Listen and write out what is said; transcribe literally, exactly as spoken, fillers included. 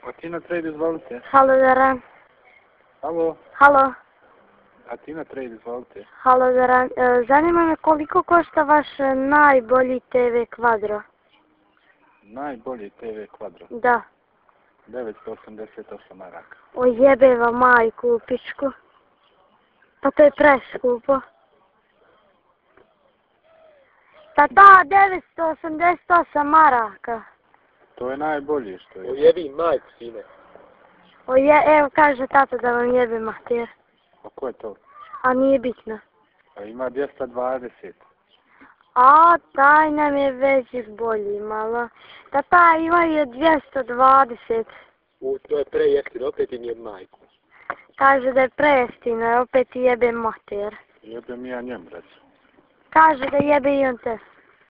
A Tina Trade, izvolite. Halo, Zoran. Halo. Halo. A Tina Trade, izvolite. Halo, Zoran. E, zanima me koliko košta vaš najbolji te ve kvadro? Najbolji te ve kvadro? Da. devetsto osamdeset osam maraka. O jebeva majku u pičku. Pa to je preskupo. Tata, devetsto osamdeset osam maraka. To je najbolji što je. Ujebi majku, sine. O je, evo kaže tata da vam jebe mater. A ko je to? A nije bitno. A ima dvjesto dvadeset. A, taj nam je veći bolji malo. Tata, ima je dvjesto dvadeset. U, to je prejeftino, opet im je majku. Kaže da je prejeftino, opet jebe mater. Jebem ja njem, recimo. Kaže da jebe i on te.